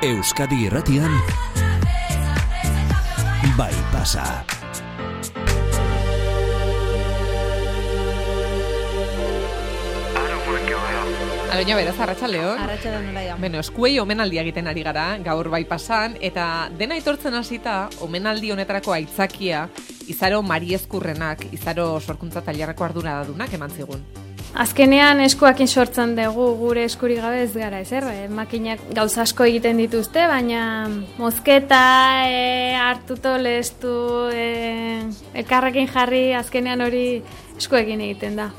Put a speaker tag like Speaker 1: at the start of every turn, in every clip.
Speaker 1: Euskadi Irratian Bai pasa.
Speaker 2: Aloina beraz, arratsaldeon.
Speaker 3: Arratsaldeon Olaia.
Speaker 2: Beno, eskuei omenaldia egiten ari gara, gaur bai pasan, eta dena etortzen hasita, omenaldi honetarako aitzakia, Izaro Mariezkurrenak, Izaro sorkuntza tailerreko arduradunak eman zigun.
Speaker 3: Azkenean eskuakin sortzen dugu gure eskuri gabe ez gara, makinak gauza asko egiten dituzte, baina mozketa, hartuto, lestu, elkarrekin jarri, azkenean hori eskuekin egiten da.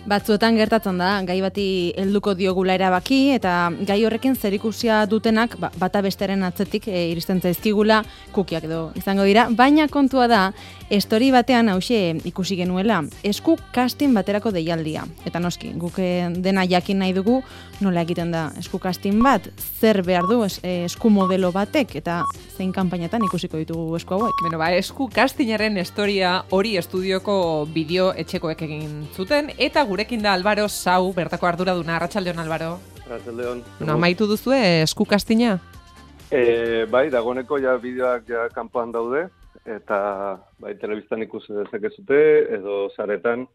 Speaker 4: Batzuetan gertatzen da, gai bati helduko diogula erabaki eta gai horrekin zerikusia dutenak bata besteren atzetik iristen zaizkigula kukiak edo izango dira, baina kontua da, estori batean hauxe ikusi genuela, esku casting baterako deialdia. Eta noski, guk dena jakin nahi dugu nola egiten da esku casting bat, zer behar du esku modelo batek eta zein kanpainetan ikusiko ditugu esku hauek.
Speaker 2: Beno, esku castingaren historia hori estudioko bideo etxekoek egin zuten, eta gurekin da Álvaro Sau, bertako arduraduna. Arratsaldeon, Álvaro.
Speaker 5: Arratsaldeon.
Speaker 2: Amaitu duzue esku castinga?
Speaker 5: Bai, dagoeneko ja bideoak ja kanpoan daude, eta bai, telebistan ikusi dezakezute edo saretan.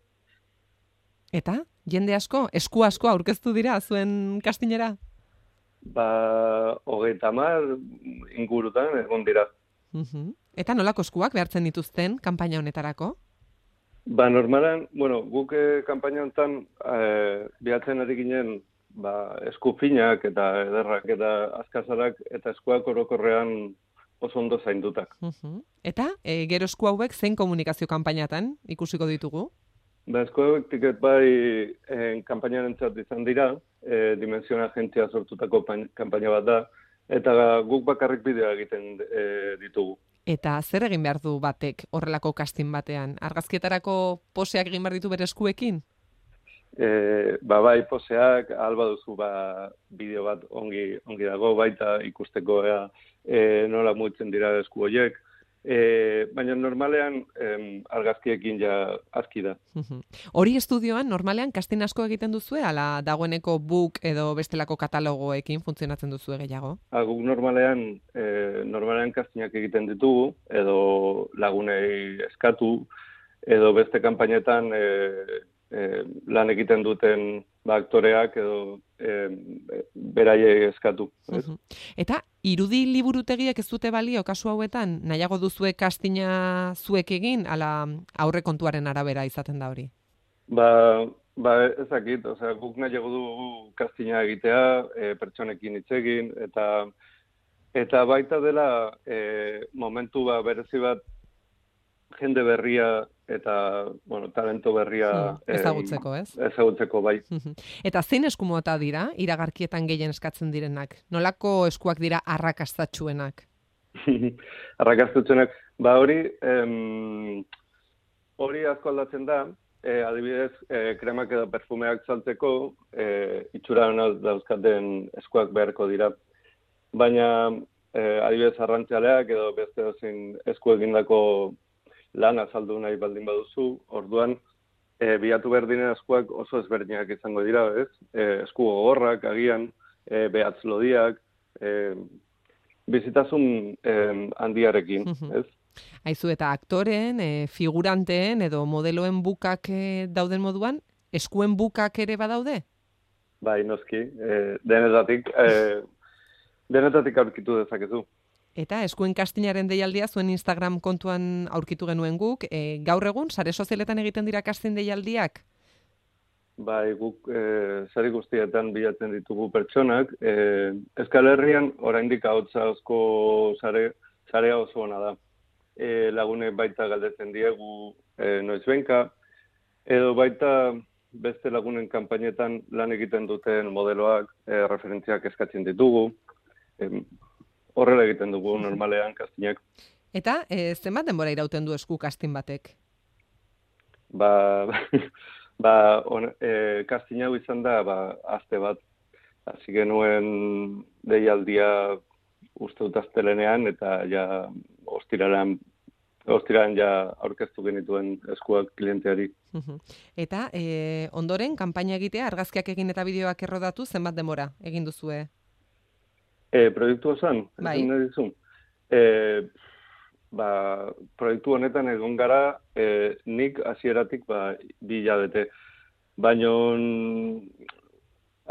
Speaker 2: Eta, jende asko, esku asko aurkeztu dira zuen castingera?
Speaker 5: 30 ingurutan egon dira.
Speaker 2: Eta nolako eskuak behartzen dituzten kanpaina honetarako?
Speaker 5: Normalan, guk kanpaina honetan bilatzen ari ginen esku finak eta ederrak eta azkazarak eta eskuak orokorrean oso ondo zaindutak.
Speaker 2: Eta, gero esku hauek zein komunikazio kanpainatan ikusiko ditugu?
Speaker 5: Esku hauek tiket bai kanpainaren entzat izan dira, Dimensión agentzia sortutako kanpaina bat da, eta guk bakarrik bideoa egiten ditugu.
Speaker 2: Eta zer egin behar du batek horrelako casting batean? Argazkietarako poseak egin behar ditu bere eskuekin?
Speaker 5: Bai, poseak, alba duzu bideo bat ongi dago, baita ikusteko nola mugitzen dira esku horiek. Baina normalean argazkiekin ja aski da.
Speaker 2: Hori estudioan normalean casting asko egiten duzue, ala dagoeneko book edo bestelako katalogoekin funtzionatzen duzue gehiago?
Speaker 5: Guk normalean castingak egiten ditugu, edo lagunei eskatu, edo beste kanpainetan lan egiten duten aktoreak edo beraiei eskatu.
Speaker 2: Eta irudi liburutegiek ez dute balio kasu hauetan, nahiago duzue castinga zuek egin, ala aurrekontuaren arabera izaten da hori?
Speaker 5: Ezakit, guk nahiago dugu castinga egitea, pertsonekin hitz egin, eta baita dela momentu berezi bat jende berria eta talento berria
Speaker 2: ezagutzeko, ez?
Speaker 5: Ezagutzeko, bai.
Speaker 2: Eta zein eskumota dira iragarkietan gehien eskatzen direnak? Nolako eskuak dira arrakastatsuenak?
Speaker 5: Arrakastatsuenak, hori asko aldatzen da, adibidez, kremak edo perfumeak saltzeko, itxura dauzkaten eskuak beharko dira. Baina, adibidez, arrantzialeak edo beste dozein esku egindako lan azaldu nahi baldin baduzu, orduan bilatu behar diren eskuak oso ezberdinak izango dira, ez? Esku gogorrak, agian, behatz lodiak, bizitasun handiarekin, ez?
Speaker 2: Aizu, eta aktoren, figuranteen edo modeloen bukak dauden moduan, eskuen bukak ere badaude?
Speaker 5: Bai, noski, denetatik aurkitu dezakezu.
Speaker 2: Eta eskuen castingaren deialdia zuen Instagram kontuan aurkitu genuen guk, gaur egun, sare sozialetan egiten dira casting deialdiak?
Speaker 5: Bai, guk sare guztietan bilatzen ditugu pertsonak. Euskal Herrian oraindik ahotsa sarea oso ona da. Lagunek baita galdetzen diegu noizbenka, edo baita beste lagunen kanpainetan lan egiten duten modeloak referentziak eskatzen ditugu. Horrela egiten dugu normalean castingak.
Speaker 2: Eta zenbat denbora irauten du esku casting batek?
Speaker 5: Casting hau izan da aste bat. Hasi genuen deialdia uste dut astelehenean eta ja ostiralean ja aurkeztu genituen eskuak klienteari.
Speaker 2: Eta ondoren kanpaina egitea, argazkiak egin eta bideoak errodatu, zenbat denbora egin duzue?
Speaker 5: Proiektu osan,
Speaker 2: Bai.
Speaker 5: nahi dizu. Proiektu honetan egon gara, nik hasieratik 2 hilabete. Baina,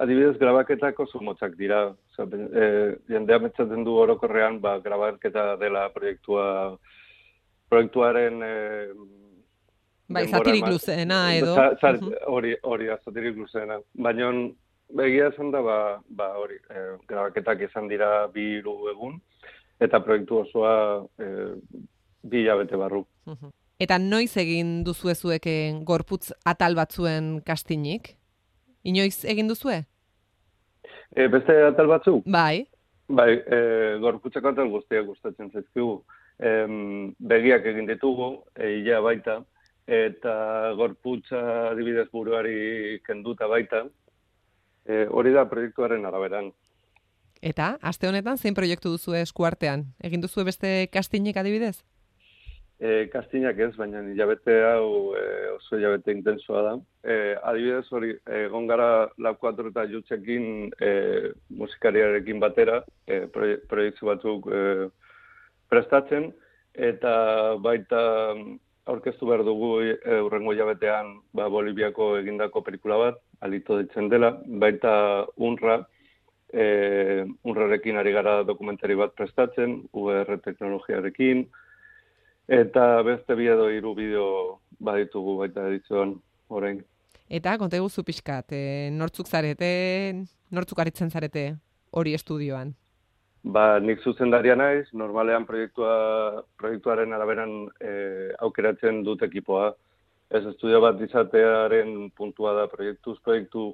Speaker 5: adibidez, grabaketak oso motzak dira. Jendea metzaten du orokorrean, grabaketa dela proiektuaren
Speaker 2: Bai, zatirik luzeena edo.
Speaker 5: Hori da, zatirik luzeena. Baina, egia esan da, grabaketak izan dira 2-3 egun, eta proiektu osoa 2 hilabete barru.
Speaker 2: Eta noiz egin duzue zueken gorputz atal batzuen kastinik? Inoiz egin duzue?
Speaker 5: Beste atal batzu?
Speaker 2: Bai.
Speaker 5: Bai, gorputzeko atal guztiak gustatzen zaizkigu. Begiak egin ditugu, ilea baita, eta gorputza adibidez buruari kenduta baita. Hori da proiektuaren araberan.
Speaker 2: Eta, aste honetan, zein proiektu duzue eskuartean? Egin duzue beste kastinik adibidez?
Speaker 5: Kastinak ez, baina hilabete hau oso hilabete intensoa da. Adibidez hori, egon gara Lab 4 eta Jutxekin musikariarekin batera, proiektu batzuk prestatzen, eta baita aurkeztu behar dugu hurrengo hilabetean Boliviako egindako pelikula bat, Alito ditzen dela, baita UNRWArekin ari gara dokumentari bat prestatzen, UR teknologiarekin, eta beste 2 edo 3 bideo baditugu baita edizioan orain.
Speaker 2: Eta, konta eguzu pixkat, nortzuk aritzen zarete hori estudioan?
Speaker 5: Nik zuzendaria naiz, normalean proiektuaren araberan aukeratzen dut ekipoa. Ez estudio bat izatearen puntua da proiektu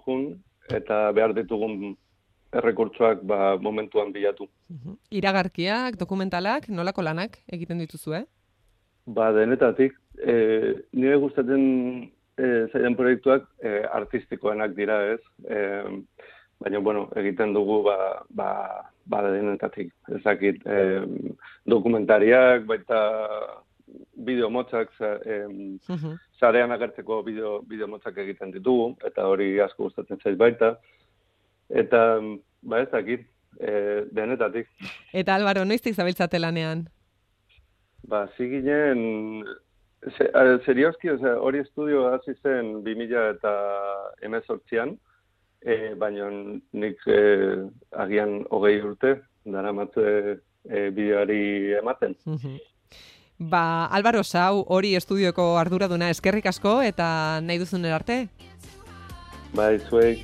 Speaker 5: jun, eta behar ditugun errekurtsoak momentuan bilatu.
Speaker 2: Iragarkiak, dokumentalak, nolako lanak egiten dituzue?
Speaker 5: Denetatik, nire gustatzen zaidan proiektuak artistikoenak dira, ez? Baina, egiten dugu denetatik. Ez dakit, dokumentariak, baita bideo motzak, sarean agertzeko bideo motzak egiten ditugu, eta hori asko gustatzen zaiz baita. Eta, ez dakit, denetatik.
Speaker 2: Eta Álvaro, noiztik zabiltzate lanean?
Speaker 5: Ziginen, serioski, hori estudio hasi zen 2018an, baina nik agian 20 urte, daramatze bideoari ematen.
Speaker 2: Álvaro Sau, hori estudioko arduraduna, eskerrik asko eta nahi duzun arte?
Speaker 5: Zuei.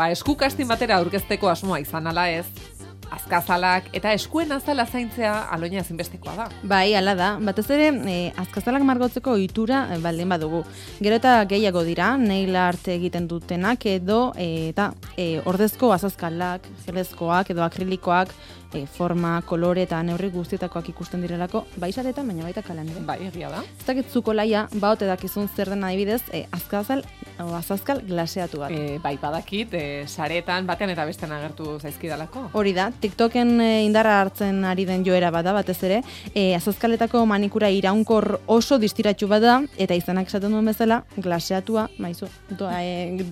Speaker 2: Esku kastin batera aurkezteko asmoa izan ala ez, azkazalak eta eskuen azala zaintzea aloina ezinbestekoa da.
Speaker 4: Bai, ala da. Batez ere, azkazalak margotzeko ohitura baldin badugu. Gero eta gehiago dira, nail art egiten dutenak edo ordezko azazkalak, gelezkoak edo akrilikoak, forma, kolore eta neurri guztietakoak ikusten direlako, bai saretan, baina baita kalan ere.
Speaker 2: Bai, egia da.
Speaker 4: Ez dakitzuko laia, baote dakizun zer den adibidez, azazkal glaseatu bat.
Speaker 2: Bai, badakit, saretan batean eta bestean agertu zaizkidalako.
Speaker 4: Hori da, TikToken indarra hartzen ari den joera bada, batez ere, azazkaletako manikura iraunkor oso distiratsu bada, eta izanak esaten duen bezala, glaseatua,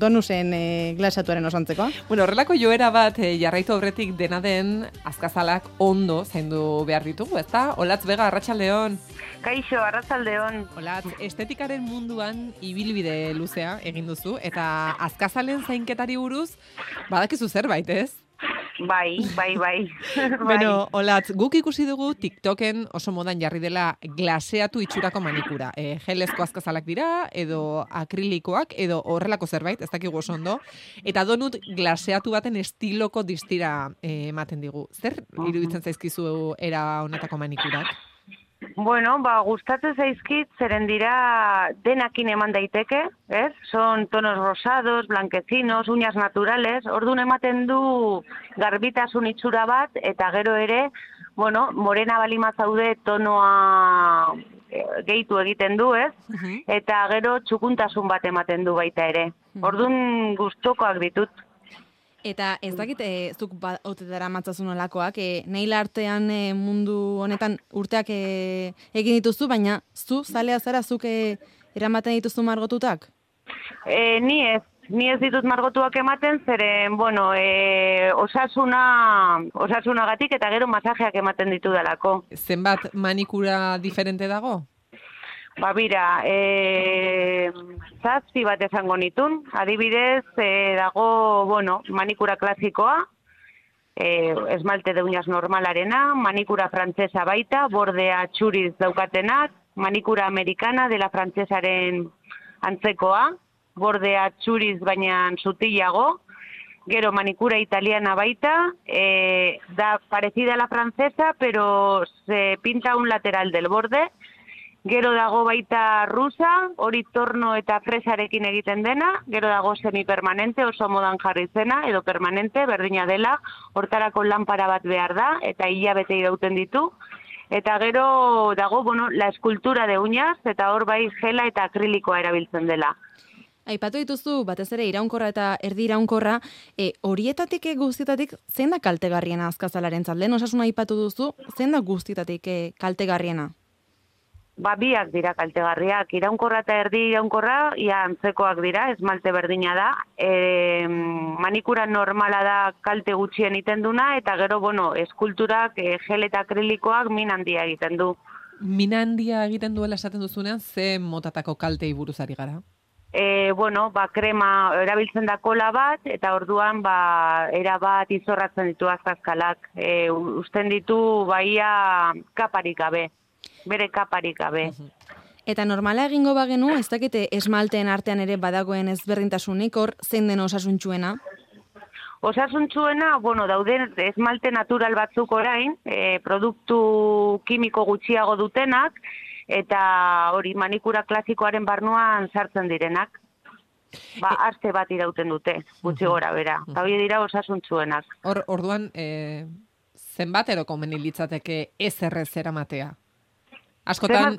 Speaker 4: donusen glaseatuaren osantzekoa.
Speaker 2: Horrelako joera bat jarraitu aurretik dena den azkazalak ondo zaindu behar ditugu, ezta? Olatz Bega, arratsaldeon.
Speaker 6: Kaixo, arratsaldeon.
Speaker 2: Olatz, estetikaren munduan ibilbide luzea egin duzu, eta azkazalen zainketari buruz badakizu zerbait, ez?
Speaker 6: Bai.
Speaker 2: Bueno, Olatz, guk ikusi dugu TikToken oso modan jarri dela glaseatu itxurako manikura. Gelezko azkazalak dira, edo akrilikoak, edo horrelako zerbait, ez dakigu oso ondo. Eta donut glaseatu baten estiloko distira ematen digu. Zer iruditzen zaizkizu era honetako manikurak?
Speaker 6: Bueno, gustatzen zaizkit, zeren dira denakin eman daiteke, ez? Son tonos rosados, blanquecinos, uñas naturales, orduan ematen du garbitasun itxura bat, eta gero ere, morena balima zaude tonoa gehitu egiten du, ez? Eta gero txukuntasun bat ematen du baita ere. Orduan gustokoak ditut.
Speaker 4: Eta ez dakit, zuk otetara matzazun olakoak, nail artean mundu honetan urteak egin dituzu, baina zu, zalea zara, zuk eramaten dituzu margotutak?
Speaker 6: Ni ez ditut margotuak ematen, zeren, bueno, osasunagatik eta gero masajeak ematen ditu dalako.
Speaker 2: Zenbat manikura diferente dago?
Speaker 6: Ba, bira, zazpi bat esango nitun. Adibidez, dago, bueno, manikura klasikoa, esmalte de uñas normalarena, manikura frantsesa baita, bordea txuriz daukatenak, manikura americana dela frantsesaren antzekoa, bordea txuriz baina sutilago, gero manikura italiana baita, da parecida a la francesa, pero se pinta un lateral del borde. Gero dago baita rusa, hori torno eta fresarekin egiten dena, gero dago semipermanente, oso modan jarri zena, edo permanente, berdina dela, hortarako lanpara bat behar da, eta hilabete irauten ditu. Eta gero dago, bueno, la eskultura de uñas, eta hor bai gela eta akrilikoa erabiltzen dela.
Speaker 4: Aipatu dituzu, batez ere iraunkorra eta erdi iraunkorra, horietatik guztietatik, zein da kaltegarriena azkazalaren zalden? Osasuna aipatu duzu, zein da guztietatik kaltegarriena?
Speaker 6: Ba, biak dira kaltegarriak. Iraunkorra eta erdi iraunkorra, ia antzekoak dira, esmalte berdina da. Manikura normala da kalte gutxien egiten duna, eta gero, bueno, eskulturak, gel eta akrilikoak min handia egiten du.
Speaker 2: Min handia egiten duela esaten duzunean, ze motatako kaltei buruz ari gara?
Speaker 6: Bueno, ba, krema erabiltzen da kola bat, eta orduan, ba, era bat izorratzen ditu azkazkalak. Usten ditu, baia kaparik gabe. Bere kaparik gabe.
Speaker 4: Eta normala egingo bagenu, ez dakite esmalteen artean ere badagoen ezberdintasunik, hor zein den osasuntsuena?
Speaker 6: Osasuntsuena, bueno, dauden esmalte natural batzuk orain, produktu kimiko gutxiago dutenak, eta hori manikura klasikoaren barnuan sartzen direnak. Ba, aste bat irauten dute, gutxi gora bera. Eta hori dira osasuntsuenak.
Speaker 2: Orduan, zenbat ero komeni litzateke ez errez eramatea? Askotan,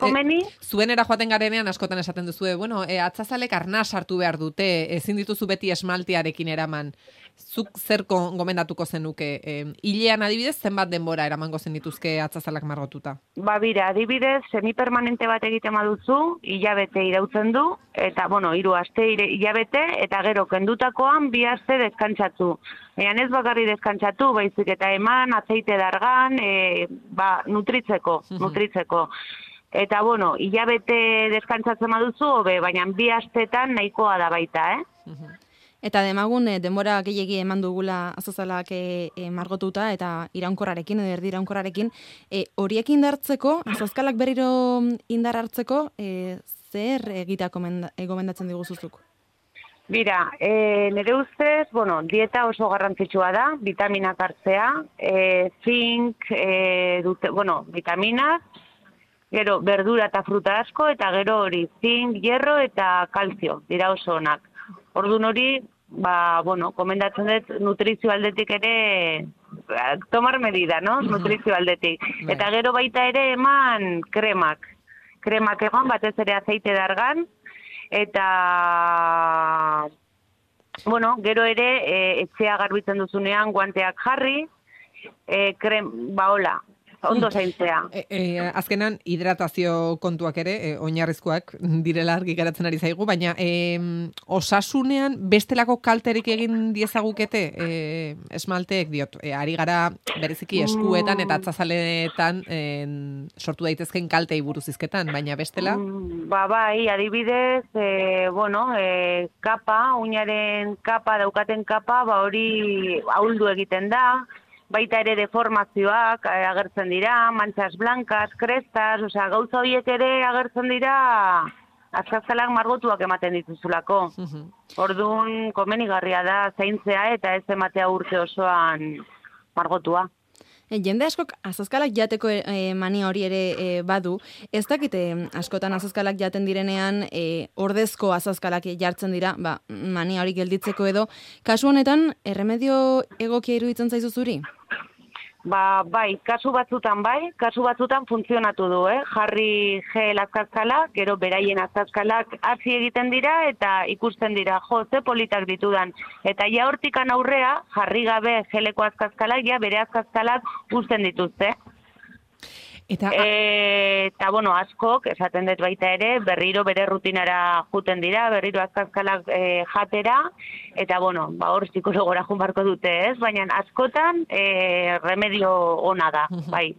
Speaker 2: zuenera joaten garenean askotan esaten duzue, bueno, atzazalek arnaz hartu behar dute, ezin dituzu beti esmaltearekin eraman. Zuk zer gomendatuko zenuke? Hilean adibidez, zenbat denbora eramango zen dituzke atzazalak margotuta? Ba, bira, adibidez, semipermanente bat egiten baduzu, hilabete irautzen du, eta, bueno, 3 aste hilabete, eta gero kendutakoan 2 aste deskantzatu. Ez bakarri deskantzatu, baizik eta eman, azeite dargan, nutritzeko. Eta, bueno, hilabete deskantzatzen baduzu, baina 2 astetan nahikoa da baita,
Speaker 4: Eta demagun, denbora gehiegi eman dugula azazalak margotuta eta iraunkorrarekin, edo erdi iraunkorrarekin, horiek indartzeko, azazkalak berriro indar hartzeko, zer egitea gomendatzen diguzuzuk?
Speaker 6: Bira, nire ustez, bueno, dieta oso garrantzitsua da, vitaminak hartzea, zink, vitaminak, gero verdura eta fruta asko, eta gero hori zink, hierro eta kalzio, dira oso onak. Orduan hori, komendatzen dut nutrizio aldetik ere, tomar medida, no? Nutrizio aldetik. Eta gero baita ere eman kremak. Kremak eman, batez ere azeite dargan, eta, gero ere etxea garbitzen duzunean guanteak jarri, hola, ondo zaintzea.
Speaker 2: Azkenan, hidratazio kontuak ere, oinarrizkoak direla argi geratzen ari zaigu, baina osasunean bestelako kalterik egin diezagukete esmalteek diot. Ari gara bereziki eskuetan eta atzazaletan sortu daitezken kaltei buruz izketan, baina bestela?
Speaker 6: Bai, adibidez, kapa, uñaren kapa, daukaten kapa, hori ahuldu egiten da, baita ere deformazioak agertzen dira, manchas blancas, krestas, gauza horiek ere agertzen dira azkazalak margotuak ematen dituzulako. Orduan, komenigarria da zaintzea eta ez ematea urte osoan margotua.
Speaker 4: Jende askok azazkalak jateko mania hori ere badu. Ez dakite askotan azazkalak jaten direnean ordezko azazkalak jartzen dira, mania hori gelditzeko edo. Kasu honetan, erremedio egokia iruditzen zaizu zuri?
Speaker 6: Bai, kasu batzutan funtzionatu du, jarri gel azkazkalak, gero beraien azkazkalak hasi egiten dira eta ikusten dira, ze politak ditudan. Eta ja hortikan aurrea, jarri gabe geleko azkazkalak, ja bere azkazkalak uzten dituzte. Eta, bueno, askok, esaten dut baita ere, berriro bere rutinara juten dira, berriro azkazkalak jatera, eta, bueno, hor psikologora jun barko dute, ez? Baina askotan remedio ona da, bai.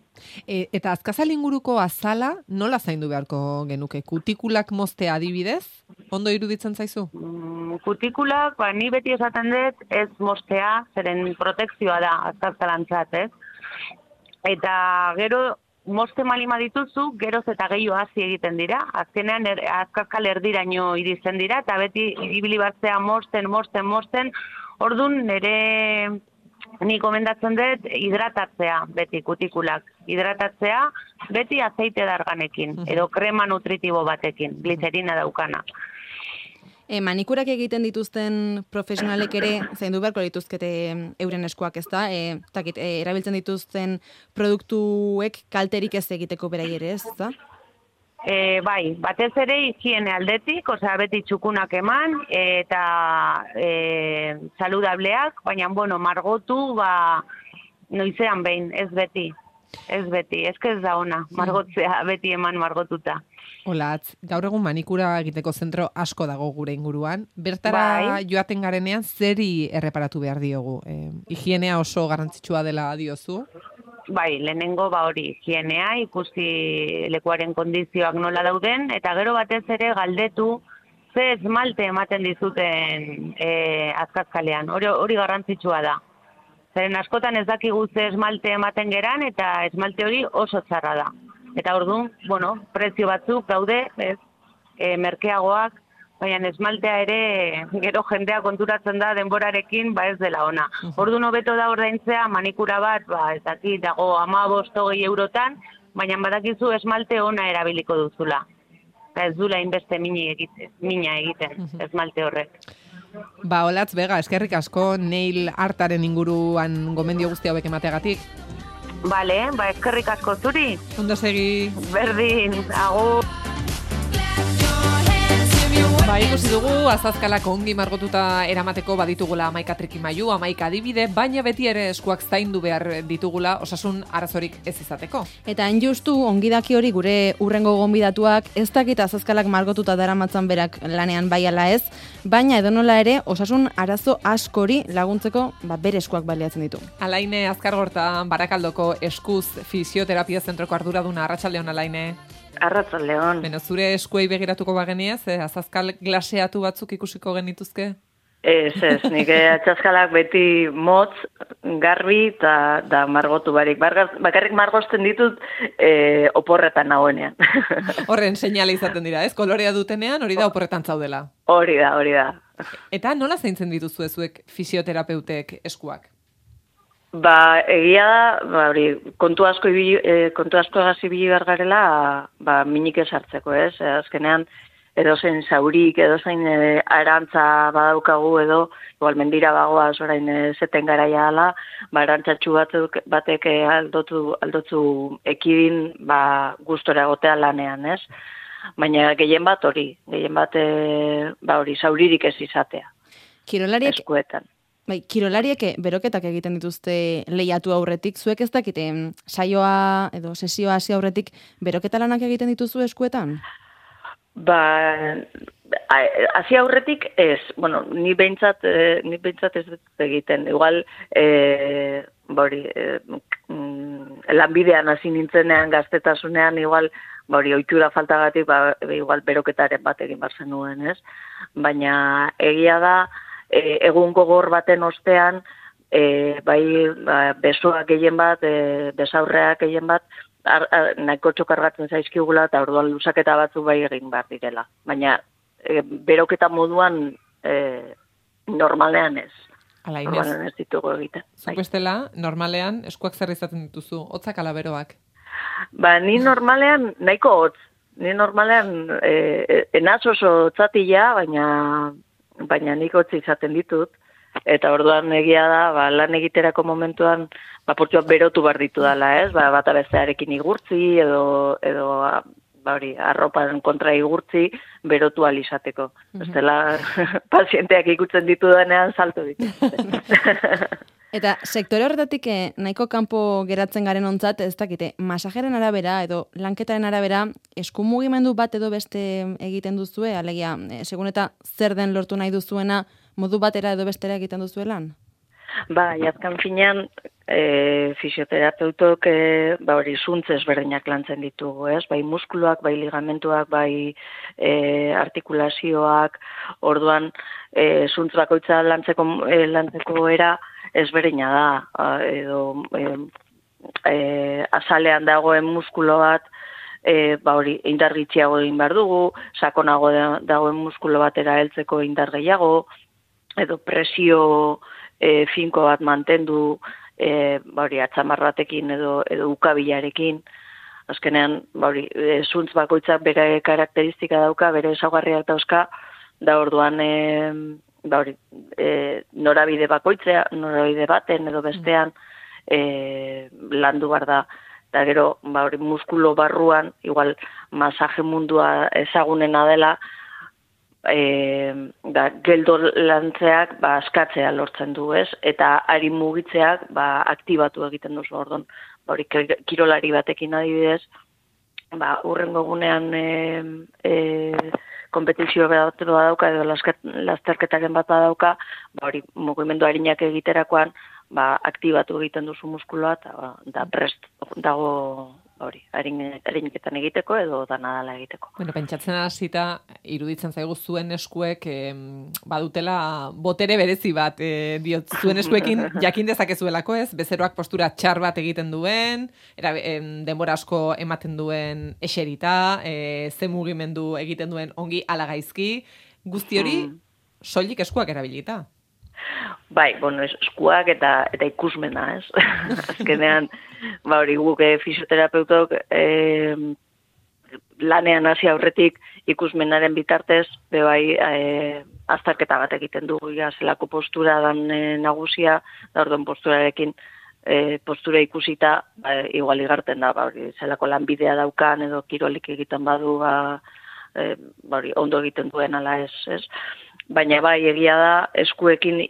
Speaker 2: Eta azkazal inguruko azala nola zaindu beharko genuke? Kutikulak moztea adibidez? Ondo iruditzen zaizu?
Speaker 6: Kutikulak, ni beti esaten dut, ez moztea, zeren protekzioa da azkazalantzat, ez? Eta gero, mozte malima dituzu, geroz eta gehiago hasi egiten dira. Azkenean azkazkal erdiraino iristen dira, eta beti ibili batzea mozten. Orduan ni komendatzen dut hidratatzea beti kutikulak. Hidratatzea beti azeite darganekin, edo krema nutritibo batekin, glicerina daukana.
Speaker 4: Manikurak egiten dituzten profesionalek ere zaindu beharko dituzkete euren eskuak, ez da? Erabiltzen dituzten produktuek kalterik ez egiteko berai ere, ez da?
Speaker 6: Bai, batez ere higiene aldetik, beti txukunak eman eta saludableak, baina, bueno, margotu, noizean behin, ez beti, ez da ona, margotzea, beti eman margotuta.
Speaker 2: Olatz, gaur egun manikura egiteko zentro asko dago gure inguruan. Bertara joaten garenean zeri erreparatu behar diogu? Higienea oso garrantzitsua dela diozu?
Speaker 6: Bai, lehenengo hori higienea, ikusi lekuaren kondizioak nola dauden, eta gero batez ere galdetu ze esmalte ematen dizuten azkazkalean. Hori garrantzitsua da. Zeren askotan ez dakigu ze esmalte ematen geran, eta esmalte hori oso txarra da. Eta orduan, bueno, prezio batzuk daude, merkeagoak, baina esmaltea ere gero jendea konturatzen da denborarekin, ez dela ona. Orduan hobeto da ordaintzea manikura bat, ez dakit, dago 15-20 eurotan, baina badakizu esmalte ona erabiliko duzula. Eta ez dula inbeste mina egiten esmalte horrek.
Speaker 2: Olatz, Bega, eskerrik asko nail artaren inguruan gomendio guzti hauek emateagatik.
Speaker 6: Bale, eskerrik asko zuri.
Speaker 2: Ondo segi.
Speaker 6: Berdin, agur.
Speaker 2: Ikusi dugu, azazkalak ongi margotuta eramateko baditugula 11 trikimailu, 11 adibide, baina beti ere eskuak zaindu behar ditugula osasun arazorik ez izateko.
Speaker 4: Eta justu ongidaki hori gure urrengo gonbidatuak ez dakit azazkalak margotuta daramatzan berak lanean bai ala ez, baina edonola ere osasun arazo askori laguntzeko bere eskuak baliatzen ditu.
Speaker 2: Alaine Azkargorta, Barakaldoko eskuz fisioterapia zentroko arduraduna. Arratsaldeon, Alaine.
Speaker 7: Arratsaldeon.
Speaker 2: Zure eskuei begiratuko bageniez, azazkal glaseatu batzuk ikusiko genituzke?
Speaker 7: Ez, nik atxazkalak beti motz, garbi eta margotu barik. Bakarrik margozten ditut oporretan nagoenean.
Speaker 2: Horren seinale izaten dira, ez? Kolorea dutenean hori da oporretan zaudela.
Speaker 7: Hori da.
Speaker 2: Eta nola zaintzen dituzu zuek fisioterapeutek eskuak?
Speaker 7: Egia da, kontu asko egasi ibili behar garela, minik esartzeko, ez? Azkenean, edozein zaurik, edozein arantza badaukagu edo, igual mendira bagoaz orain zeten garaia ala, arantzatxu batek aldotzu ekidin gustora egotea lanean, ez? Baina gehien bat zauririk ez izatea.
Speaker 4: Kirolariek
Speaker 7: eskuetan.
Speaker 4: Kirolariek beroketak egiten dituzte lehiatu aurretik, zuek ez dakite saioa edo sesioa hasi aurretik beroketa lanak egiten dituzu eskuetan?
Speaker 7: Hasi aurretik ez, ni behintzat ez dut egiten. Igual, lanbidean hasi nintzenean gaztetasunean, igual, ohitura faltagatik, igual beroketaren bat egin barzen nuen, ez? Baina egia da, egun gogor baten ostean, besoak gehien bat, besaurreak gehien bat, nahiko txokargatzen zaizkigula eta orduan luzaketa batzu egin behar direla. Baina beroketa moduan normalean ez. Normalean ez ditugu egiten.
Speaker 2: Zuk bestela, normalean eskuak zer izaten dituzu, hotzak ala beroak?
Speaker 7: Ni normalean nahiko hotz. Ni normalean enaz oso hotzatila, baina nik hotz izaten ditut. Eta orduan egia da, lan egiterako momentuan, portxoak berotu behar ditu dela, ez? Bata bestearekin igurtzi, edo arroparen kontra igurtzi, berotu alizateko. Bestela, pazienteak ikutzen ditu denean, salto ditu.
Speaker 4: Eta sektore horretatik nahiko kanpo geratzen garen ontzat, ez dakite, masajeren arabera edo lanketaren arabera, esku mugimendu bat edo beste egiten duzue, alegia, segun eta zer den lortu nahi duzuena, modu batera edo bestera egiten duzuelan?
Speaker 7: Azken finean, fisioterapeutok zuntz ezberdinak lantzen ditugu, ez? Bai muskuluak, bai ligamentuak, bai artikulazioak, orduan zuntz bakoitza lantzeko era ezberdina da, edo azalean dagoen muskulo bat, indar gitxiago egin behar dugu, sakonago dagoen muskulo batera heltzeko indar gehiago, edo presio finko bat mantendu, atxamar batekin edo ukabilarekin. Azkenean, zuntz bakoitzak bere karakteristika dauka, bere ezaugarriak dauzka, da orduan norabide bakoitzea, norabide baten edo bestean landu behar da. Eta gero, muskulo barruan, igual masaje mundua ezagunena dela, geldo lantzeak askatzea lortzen du, ez? Eta ari mugitzeak aktibatu egiten duzu, orduan. Kirolari batekin adibidez, urrengo gunean kompetizio bat dauka edo lasterketaren bat dauka, mugimendu harinak egiterakoan aktibatu egiten duzu muskuloa eta prest dago hariniketan egiteko edo danadala egiteko.
Speaker 2: Pentsatzen hasita iruditzen zaigu zuen eskuek badutela botere berezi bat, diot zuen eskuekin jakin dezakezuelako, ez? Bezeroak postura txar bat egiten duen, denbora asko ematen duen eserita, ze mugimendu egiten duen ongi ala gaizki, guzti hori soilik eskuak erabilita.
Speaker 7: Eskuak eta ikusmena, ez? Azkenean, guk fisioterapeutok lanean hasi aurretik ikusmenaren bitartez, azterketa bat egiten dugu, zelako postura dan nagusia, da orduan posturarekin, postura ikusita, igual igarten da, zelako lanbidea daukan edo kirolik egiten badu, ondo egiten duen ala ez? Baina egia da, eskuekin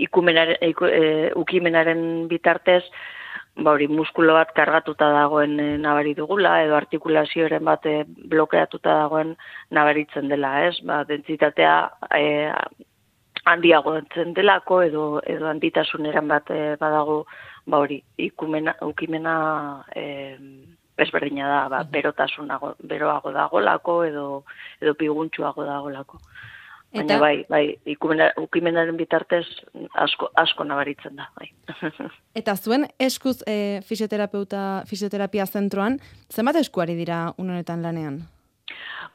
Speaker 7: ukimenaren bitartez, muskulo bat kargatuta dagoen nabari dugula, edo artikulazioaren bat blokeatuta dagoen nabaritzen dela, ez? Dentsitatea handiago entzen delako, edo handitasuneran bat badago, ukimena ezberdina da, beroago dagolako, edo piguntxuago dagolako. Baina ukimenaren bitartez asko nabaritzen da.
Speaker 4: Eta zuen eskuz fisioterapia zentroan, zenbat eskuari dira honetan lanean?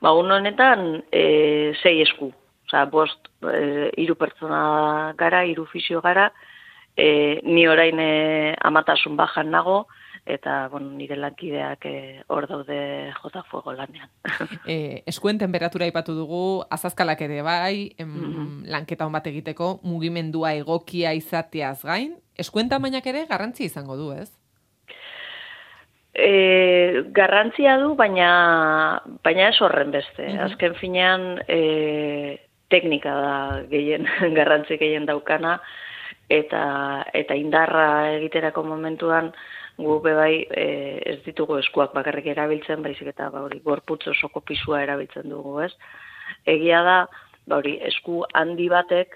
Speaker 7: Honetan 6 esku. Osa, 3 pertsona gara, 3 fisio gara, ni orain amatasun bajan nago, eta nire lankideak hor daude jota fuego lanean.
Speaker 2: Eskuen temperatura aipatu dugu, azazkalak ere bai, lanketa hon bat egiteko, mugimendua egokia izateaz gain, eskuen tamainak ere garrantzia izango du, ez?
Speaker 7: Garrantzia du, baina ez horren beste. Azken finean, teknika da garrantzi gehien daukana, eta indarra egiterako momentuan, gu ez ditugu eskuak bakarrik erabiltzen, baizik eta gorputz osoko pisua erabiltzen dugu, ez? Egia da, esku handi batek,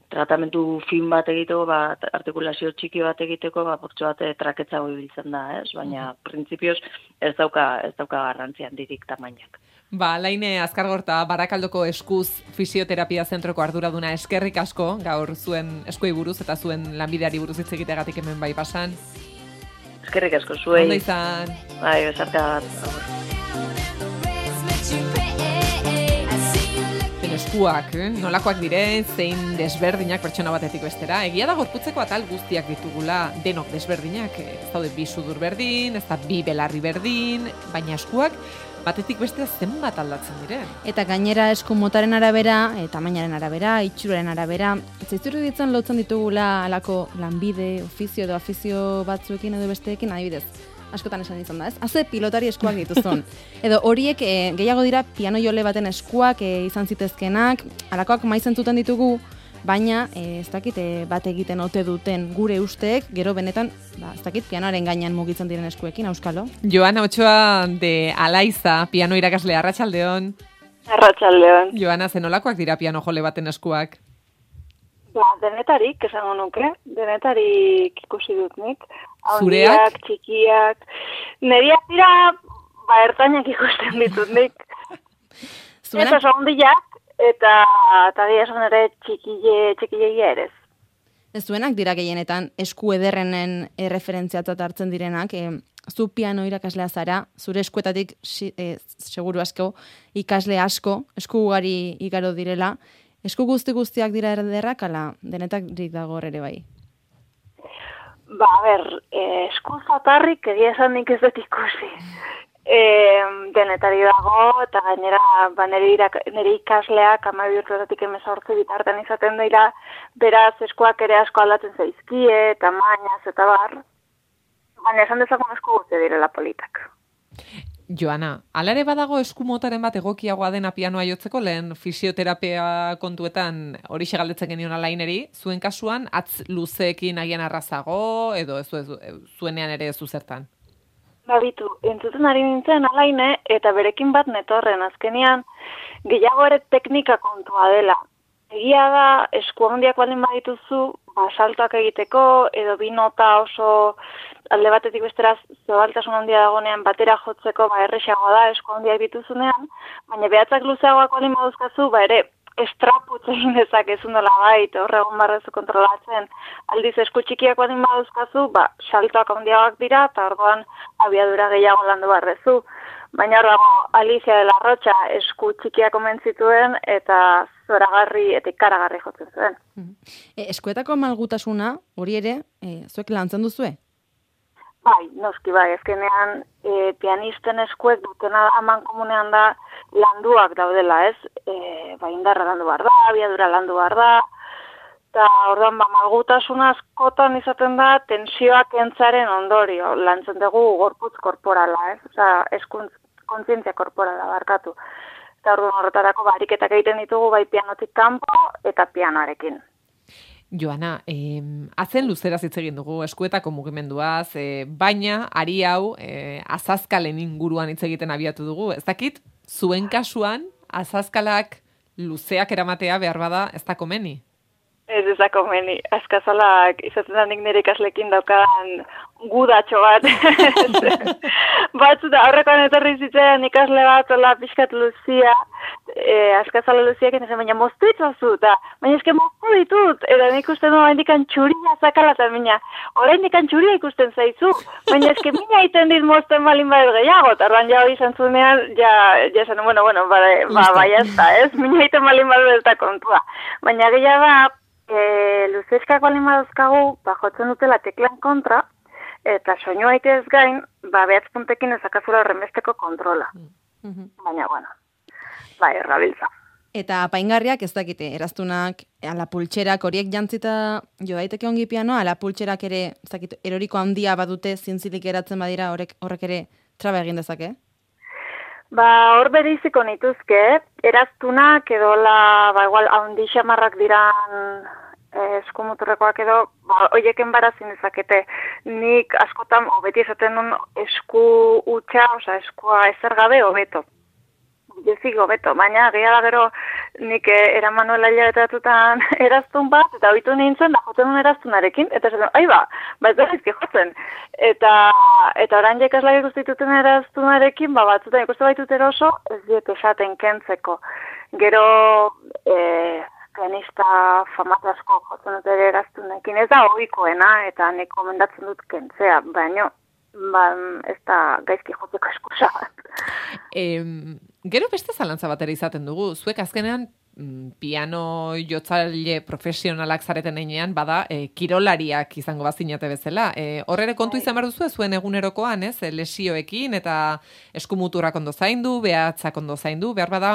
Speaker 7: tratamentu fin bat egiteko, artikulazio txiki bat egiteko, portxo bat traketzago ibiltzen da, ez? Baina, printzipioz, ez dauka garrantzi handirik tamainak.
Speaker 2: Laine Azkargorta, Barakaldoko eskuz fisioterapia zentroko arduraduna, eskerrik asko, gaur zuen eskuei buruz eta zuen lanbideari buruz hitz egiteagatik hemen bai pasan.
Speaker 7: Eskerrik asko zuei.
Speaker 2: Ondo izan.
Speaker 7: Besarte bat.
Speaker 2: Eskuak, nolakoak diren, zein desberdinak pertsona batetik bestera. Egia da gorputzeko atal guztiak ditugula, denok desberdinak. Ez daude 2 sudur berdin, ez da 2 belarri berdin, baina eskuak batetik bestea zenbat aldatzen diren.
Speaker 4: Eta gainera esku motaren arabera, tamainaren arabera, itxuraren arabera, zaizuru ditzen lotzen ditugula alako lanbide, ofizio edo afizio batzuekin edo besteekin adibidez. Askotan esan izan da, ez? Haze pilotari eskuak dituzun. Edo horiek gehiago dira piano jole baten eskuak izan zitezkenak, alakoak maizen zuten ditugu, baina ez dakit bat egiten ote duten gure usteek, gero benetan, ez dakit pianoaren gainean mugitzen diren eskuekin, auskalo.
Speaker 2: Joana Ochoa de Alaiza, piano irakaslea, arratsaldeon.
Speaker 8: Arratsaldeon.
Speaker 2: Joana, zenolakoak dira piano jole baten eskuak?
Speaker 8: Denetarik, esango nuke, denetarik ikusi dut nik.
Speaker 2: Zureak?
Speaker 8: Handiak, txikiak. Neriak dira, ertainak ikusten ditut nik.
Speaker 4: Zuenak?
Speaker 8: Eta handiak, eta gira esan ere txikiegia ere.
Speaker 4: Ez zuenak dira gehienetan esku ederrenen referentziatzat hartzen direnak, zu piano irakaslea zara, zure eskuetatik seguru asko, ikasle asko, esku ugari igaro direla, esku guztiak dira ederrak, ala denetak dago ere bai?
Speaker 8: Esku zatarrik egia esan nik ez dut ikusi. Denetari dago, eta gainera nire ikasleak 12 urtetatik 18 bitartean izaten dira, beraz eskuak ere asko aldatzen zaizkie, tamainaz eta bar, baina esan dezagun esku guzti direla politak.
Speaker 2: Joana, hala ere badago esku motaren bat egokiagoa dena pianoa jotzeko, lehen fisioterapia kontuetan horixe galdetzen genion alaineri, zuen kasuan atz luzeekin agian arrazago, edo zuenean ere zuzertan?
Speaker 8: Bitu, entzuten ari nintzen alaine, eta berekin bat netorren, azkenean gehiago ere teknika kontua dela. Egia da, esku handiak baldin badituzu, saltoak egiteko, edo bi nota oso alde batetik besteraz zabaltasun handia dagonean batera jotzeko erresagoa da esku handiak dituzunean, baina behatzak luzeagoak baldin baduzkazu, ere estraputz egin dezakezun dela bait, horregon barrezu kontrolatzen. Aldiz esku txikiak baldin baduzkazu, saltoak handiagoak dira, eta orduan abiadura gehiago landu barrezu. Baina hor dago Alicia de la Rocha esku txikiak omen zituen eta zoragarri eta ikaragarri jotzen zuen.
Speaker 4: Eskuetako malgutasuna, hori ere, zuek lantzen duzue?
Speaker 8: Noski ezkenean pianisten eskuek dutena aman komunean da landuak daudela, ez? Indarra landu behar da, abiadura landu behar da, eta orduan malgutasuna askotan izaten da tensioak entzaren ondorio, lantzen dugu gorputz korporala, ez? Eskuntz kontzientzia korporala barkatu. Eta orduan horretarako ariketak egiten ditugu bai pianotik kanpo eta pianoarekin.
Speaker 2: Joana, atzen luzeraz hitz egin dugu eskuetako mugimenduaz, baina ari hau azazkalen inguruan hitz egiten abiatu dugu. Ez dakit, zuen kasuan azazkalak luzeak eramatea behar bada ez da komeni?
Speaker 8: Ez da komeni. Azkazalak izaten da nik nire ikaslekin daukan gudatxo bat. Batzuta aurrekoan etorri zitzen ikasle bat ola pixkat luzia, azkazala luziak enezen, baina moztu itzazu, baina eske moztu ditut, eta nik usten duen indikan txuria zakala, eta baina orain indikan txuria ikusten zaizu, baina eske mina iten dit mozten balin bat gehiago, eta orban ja hori zantzunean, ja zen, bueno, bai ez da, ez, mina iten balin bat eta kontua. Baina gehiago da, luzeskak balin baduzkagu, jotzen dutela teklan kontra, eta soinua ez gain, behatz puntekin ezakazula horrenbesteko kontrola. Baina, errabiltza.
Speaker 4: Eta apaingarriak ez dakite, eraztunak, ala pultxerak horiek jantzita jo daiteke ongi pianoa, ala pultxerak ere, ez dakit, eroriko handia badute zintzilik eratzen badira horrek ere traba egin dezake?
Speaker 8: Hor bereiziko nituzke, eraztunak edo igual handi xamarrak diran eskumuturrekoak edo, hoieken barazin dezakete. Nik askotan, beti esaten duen esku utxa, eskua ezer gabe hobeto. Jezik hobeto, baina gehiago gero nik eramanuela hilabetatutan eraztun bat, eta oitu nintzen, jotzen duen eraztunarekin, eta esaten, ez da izki jotzen. Eta orain jekaslak ikustituten eraztunarekin, batzutan ikustu baitut eroso, ez diet esaten kentzeko. Gero, pianista famatu asko jotzen dut ere eraztunekin, ez da ohikoena, eta nik komendatzen dut kentzea, baina ez da gaizki jotzeko eskusa bat.
Speaker 2: Gero beste zalantza bat ere izaten dugu. Zuek azkenean piano jotzaile profesionalak zareten einean, bada, kirolariak izango bazinate bezala. Horrere kontu izan behar duzu, zuen egunerokoan, ez? Lesioekin eta eskumuturrak ondo zaindu, behatzak ondo zaindu, behar bada,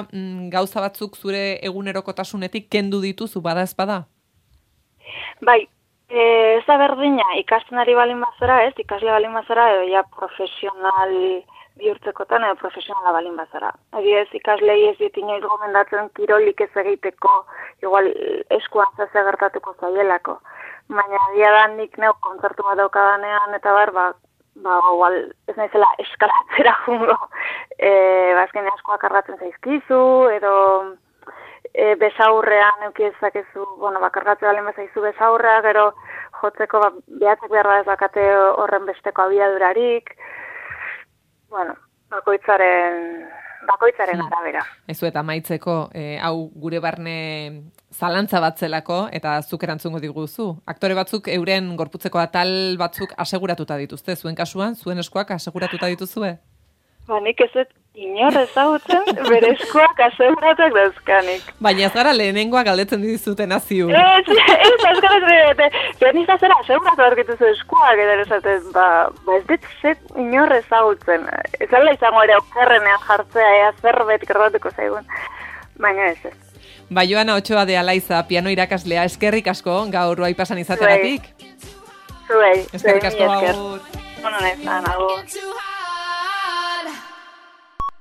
Speaker 2: gauza batzuk zure egunerokotasunetik kendu dituzu, bada ez bada?
Speaker 8: Bai, ez da berdina, ikasten ari balin bazara, ez? Ikasle balin bazara, edo ja profesional bihurtzekotan edo profesionala balin bazara. Adibidez, ikaslei ez dit inoiz gomendatzen kirolik ez egiteko, igual eskuan zase gertatuko zaielako. Baina dia da nik neuk kontzertu bat daukadanean eta igual ez naizela eskalatzera jungo. Azken askoak kargatzen zaizkizu, edo besaurrean eukidezakezu, kargatzen balen bazaizu besaurrea, gero jotzeko behatzek behar da ez bakate horren besteko abiadurarik. Bakoitzaren arabera.
Speaker 2: Ezu eta maitzeko, hau gure barne zalantza bat zelako, eta zuk erantzungo diguzu. Aktore batzuk euren gorputzeko atal batzuk aseguratuta dituzte, zuen kasuan, zuen eskuak aseguratuta dituzue?
Speaker 8: Nik ez dut inor ezagutzen, bere eskuak aseguratuak dauzkanik.
Speaker 2: Baina ez gara lehenengoa galdetzen dizuten aziu.
Speaker 8: Ez azkara pianista zera aseguratu argituzu eskuak, edo esaten, ez dut inor ezagutzen. Ez ala izango ere okerrenean jartzea, zerbait gertatuko zaigun. Baina ez.
Speaker 2: Joana Otxoa de Alaiza, piano irakaslea, eskerrik asko, gaur bai pasan izateagatik.
Speaker 8: Zuei.
Speaker 2: Eskerrik asko,
Speaker 8: agur. Agur.